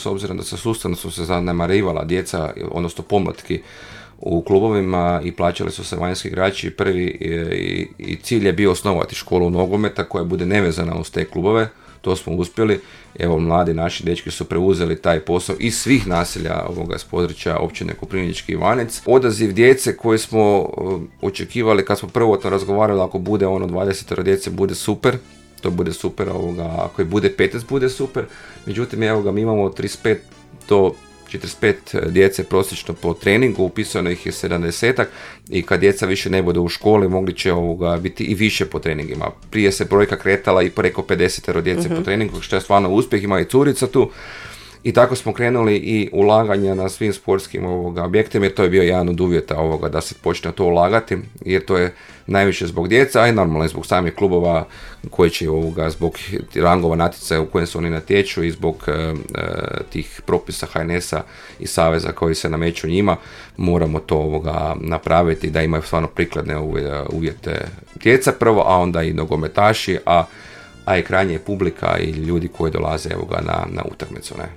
S obzirom da sustavno su se zanemarivala djeca, odnosno pomlatki u klubovima i plaćali su se vanjski igrači, i cilj je bio osnovati školu nogometa koja bude nevezana uz te klubove. To smo uspjeli. Evo, mladi naši dečki su preuzeli taj posao iz svih naselja s područja općine Koprivnički Ivanec. Odaziv djece koje smo očekivali kad smo prvotno razgovarali, ako bude 20 djece bude super. To bude super, ako je bude 15 bude super. Međutim, mi imamo 35 do 45 djece prosječno po treningu, upisano ih je 70-ak i kad djeca više ne bude u školi mogli će biti i više po treningima. Prije se brojka kretala i preko 50 djece po treningu, što je stvarno uspjeh, ima i curica tu. I tako smo krenuli i ulaganja na svim sportskim objektima, jer to je bio jedan od uvjeta da se počne to ulagati, jer to je najviše zbog djeca, a i normalno i zbog samih klubova koji će zbog rangova natjecaja u kojem se oni natječu i zbog tih propisa HNS-a i saveza koji se nameću njima, moramo to napraviti da imaju stvarno prikladne uvjete djeca prvo, a onda i nogometaši, a i krajnje publika i ljudi koji dolaze na utakmicu. Ne?